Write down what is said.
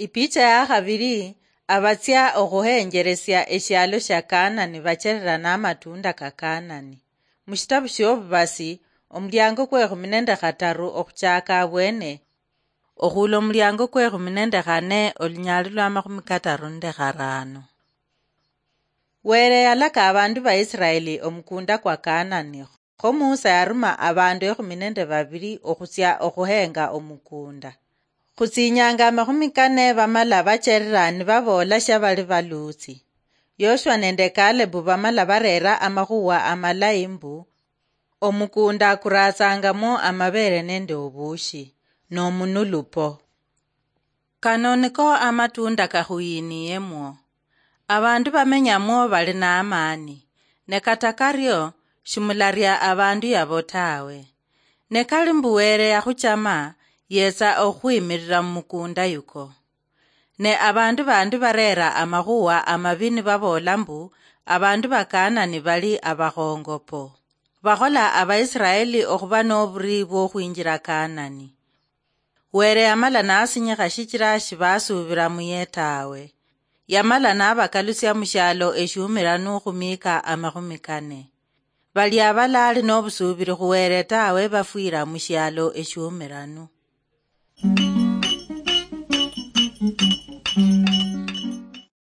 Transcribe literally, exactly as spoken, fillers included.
Ipicha ya khabili, abatsia okhuhenjeresia eshialo shia Kanani bacherera namatunda ka Kanani. Mushitabu shiobubasi, omuliango kwekhumi nende khataru okhuchaka abwene, okhula omuliango kwekhumi nende khane, olunyali lwa makhumi kataru nende kharano. Were yalaka abandu ba Israeli omukunda kwa Kanani. Kho Musa yaruma abandu ekhumi nende babili okhutsia okhuhenga omukunda. Khutsinyanga amakhumi kane bamala bacherera nibaboola shia bali baluutsi. Yoshua nende Kalebu bamala barera amakhuwa amalayi mbu, omukunda kuratsangamo amabere nende obushi, nomunulupo. Kano niko amatunda kakhuyiniyemwo. Abandu bamenyamwo bali na amani, ne kata kario shimularia abandu yabo tawe. Ne kali mbu Were yakhuchama, yetsa okhukhwimirira mumukunda yuko. Ne abandu bandi barera amakhuwa amabi nibaboola mbu, abandu ba Kanani bali abakhongopo. Bakhola Abaisiraeli okhuba noburi bwokhwinjira Kanani. Were yamala nasinyikha shichira shibasuubira muye tawe. Yamala nabakalusia mushialo eshiumiranu khumiika amakhumi kane. Bali abalaali nobusuubiri khu Were tawe bafwira mushialo eshiumiranu.